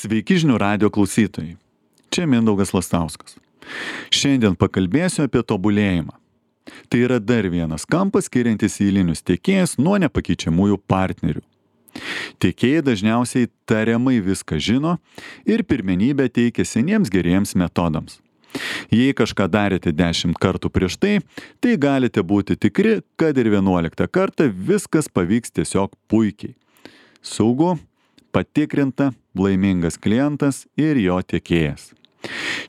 Sveiki žinių radijo klausytojai. Čia Mindaugas Lastauskas. Šiandien pakalbėsiu apie tobulėjimą. Tai yra dar vienas kampas skiriantis eilinius tiekėjus nuo nepakeičiamųjų partnerių. Tiekėjai dažniausiai tariamai viską žino ir pirmenybę teikia seniems geriems metodams. Jei kažką darėte 10 kartų prieš tai, tai galite būti tikri, kad ir 11 kartą viskas pavyks tiesiog puikiai. Saugu, patikrinta, laimingas klientas ir jo tiekėjas.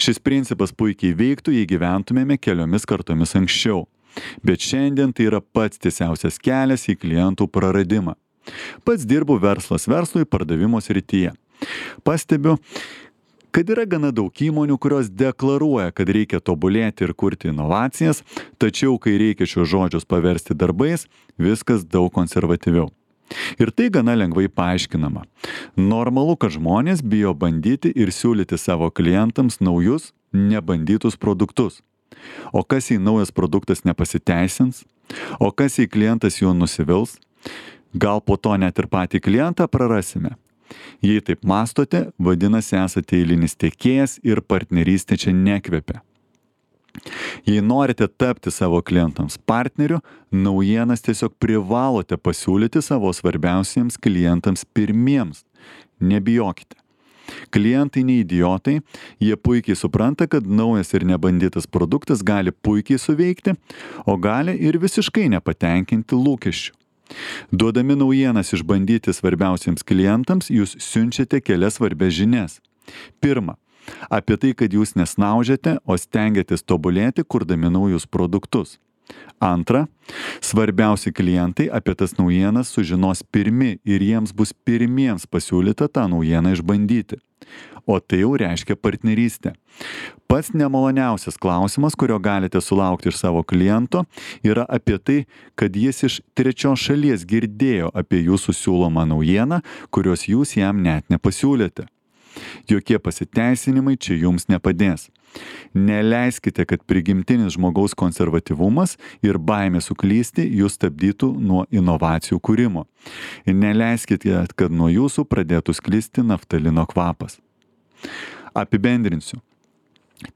Šis principas puikiai veiktų, jei gyventumėme keliomis kartomis anksčiau. Bet šiandien tai yra pats tiesiausias kelias į klientų praradimą. Pats dirbu verslas verslui pardavimo srityje. Pastebiu, kad yra gana daug įmonių, kurios deklaruoja, kad reikia tobulėti ir kurti inovacijas, tačiau kai reikia šios žodžius paversti darbais, viskas daug konservatyviau. Ir tai gana lengvai paaiškinama. Normalu, kad žmonės bijo bandyti ir siūlyti savo klientams naujus, nebandytus produktus. O kas jei naujas produktas nepasiteisins? O kas jei klientas juo nusivils? Gal po to net ir patį klientą prarasime? Jei taip mąstote, vadinasi esate eilinis tiekėjas ir partnerystė čia nekvepia. Jei norite tapti savo klientams partneriu, naujienas tiesiog privalote pasiūlyti savo svarbiausiems klientams pirmiems. Nebijokite. Klientai ne idiotai, jie puikiai supranta, kad naujas ir nebandytas produktas gali puikiai suveikti, o gali ir visiškai nepatenkinti lūkesčių. Duodami naujienas išbandyti svarbiausiems klientams, jūs siunčiate kelias svarbias žinias. Pirma, apie tai, kad jūs nesnaudžiate, o stengiatės tobulėti, kurdami naujus produktus. Antra, svarbiausi klientai apie tas naujienas sužinos pirmi ir jiems bus pirmiems pasiūlyta tą naujieną išbandyti. O tai jau reiškia partnerystę. Pats nemaloniausias klausimas, kurio galite sulaukti iš savo kliento, yra apie tai, kad jis iš trečios šalies girdėjo apie jūsų siūlomą naujieną, kurios jūs jam net nepasiūlėte. Jokie pasiteisinimai čia jums nepadės. Neleiskite, kad prigimtinis žmogaus konservatyvumas ir baimė suklysti jūs stabdytų nuo inovacijų kūrimo. Ir neleiskite, kad nuo jūsų pradėtų sklisti naftalino kvapas. Apibendrinsiu.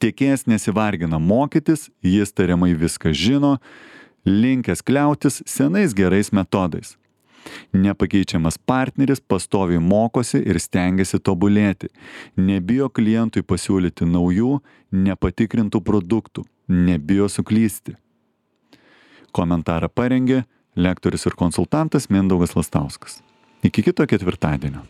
Tiekėjas nesivargina mokytis, jis tariamai viską žino, linkęs kliautis senais gerais metodais. Nepakeičiamas partneris pastoviai mokosi ir stengiasi tobulėti. Nebijo klientui pasiūlyti naujų, nepatikrintų produktų. Nebijo suklysti. Komentarą parengė lektorius ir konsultantas Mindaugas Lastauskas. Iki kito ketvirtadienio.